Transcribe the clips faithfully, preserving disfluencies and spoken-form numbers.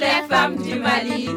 les femmes du Mali.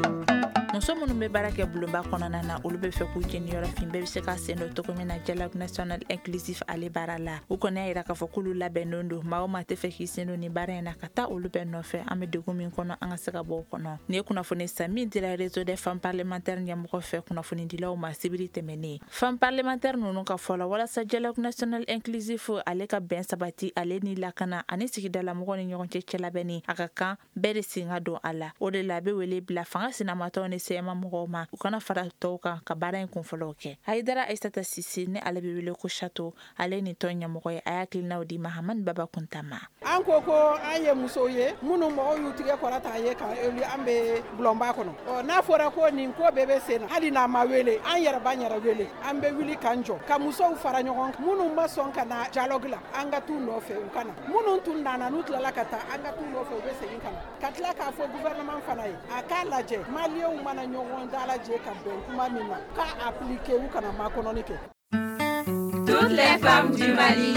Muso minnu bɛ baara kɛ bulonba kɔnɔna na, olu bɛ fɛ k'u jeniyɔrɔ fin bɛɛ bɛ se ka sen don cogo min na dialogue national inclusif ale baara la. U kɔni y'a jira k'a fɔ k'olu labɛnnen don. Maa o maa tɛ fɛ k'i sen don nin baara in na, ka taa olu bɛɛ nɔfɛ. An bɛ degun min kɔnɔ, an ka se ka bɔ o kɔnɔ. Nin ye kunnafoni san min dira Réseau des femmes parlementaires ɲɛmɔgɔ fɛ kunnafonidilaw ma sibiri tɛmɛnen. Femmes parlementaires ninnu ka fɔ la, walasa dialogue national inclusif ale ka bɛn sabati, ale ni lakana ani sigidalamɔgɔw ni ɲɔgɔn cɛ cɛlabɛnni, a ka kan bɛɛ de sen ka don a la. O de la, a bɛ wele bila fanga sinamatɔw ni C M A mɔgɔw ma, u kana fara tɔw kan ka baara in kunfɔlɔw kɛ. Hayidara Aissata Cissé, ni ale bɛ wele ko Chateau, ale ni tɔn ɲɛmɔgɔ ye, a y'a hakilinaw di Mahamani Baba Kunta ma. An ko ko an ye musow ye minnu mɔgɔw y'u tigɛ kɔrɔta an ye ka élu an bɛ bulonba kɔnɔ. Ɔ, n'a fɔra ko nin ko bɛɛ bɛ sen na, hali n'a ma wele, an yɛrɛ b'an yɛrɛ wele, an bɛ wuli k'an jɔ ka musow fara ɲɔgɔn kan. Minnu ma sɔn ka na dialogue la, an ka t'u nɔfɛ, u ka na. Minnu tun nana, n'u tilala ka taa, an ka t'u nɔfɛ, u bɛ segin ka na. Ka tila k'a fɔ gouvernement fana ye, a k'a lajɛ maliyɛnw mana ɲɔgɔn dalajɛ ka bɛn kuma min na, k'a appliquer, u kana makɔnɔni kɛ. Toutes les femmes du Mali.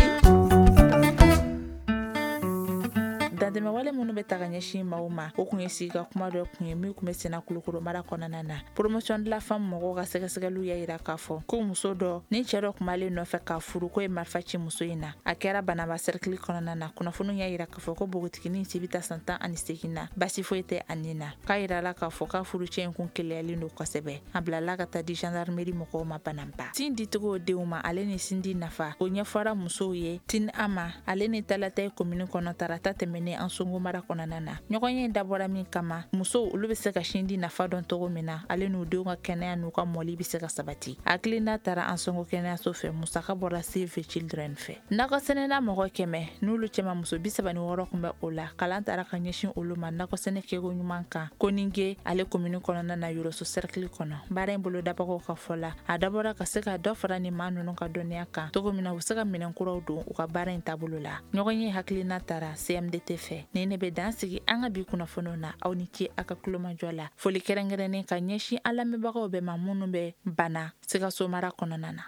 Dantɛmɛwale minnu bɛ ta ka ɲɛsin maaw ma, o kun ye sigi ka kuma dɔ kun ye min kun bɛ senna Kulukoro mara kɔnɔna na. Promotion de la femme mɔgɔw ka sɛgɛsɛgɛliw y'a jira k'a fɔ ko muso dɔ ni cɛ dɔ kun b'ale nɔfɛ k'a furu, ko ye marifa ci muso in na. A kɛra Banaba cercle kɔnɔna na. Kunnafoniw y'a jira k'a fɔ ko npogotiginin si bɛ taa san tan ani seegin na, basi foyi tɛ a nin na. K'a yira la k'a fɔ k'a furucɛ in kun keleyalen don kosɛbɛ. A bilala ka taa di gendarmerie mɔgɔw ma Banaba. Sin dicogo denw ma, ale ni sin di nafa, o ɲɛfɔra musow ye Tin Ama ale ni Talatɛ commune kɔnɔ tarata tɛmɛnen Ansongo mara kɔnɔna na. Ɲɔgɔn ye dabɔra min kama, musow olu bɛ se ka sin di nafa dɔn cogo min na, ale n'u denw ka kɛnɛya n'u ka mɔli bɛ se ka sabati. Hakilina taara Ansongo kɛnɛyaso fɛ, musaka bɔra Save the Children fɛ. Nakɔ sɛnɛna mɔgɔ kɛmɛ n'olu cɛma, muso bi saba ni wɔɔrɔ kun bɛ o la. Kalan taara ka ɲɛsin olu ma nakɔ sɛnɛ kɛko ɲuman kan Koninge ale commune kɔnɔna na, Yoroso cercle kɔnɔ. Baara in bolodabagaw ka fɔ la, a dabɔra ka se ka dɔ fara ni maa ninnu ka dɔnniya kan cogo min na, u bɛ se ka minɛn kuraw don u ka baara in taabolo la. Ɲɔgɔn ye hakilina taara C M D T fɛ. Ni ne bɛ dan sigi an ka bi kunnafoniw na. Aw ni ce a ka kulomajɔ la. Foli kɛrɛnkɛrɛnnen ka ɲɛsin an lamɛnbagaw bɛɛ ma minnu bɛ Bana Sikaso mara kɔnɔna na.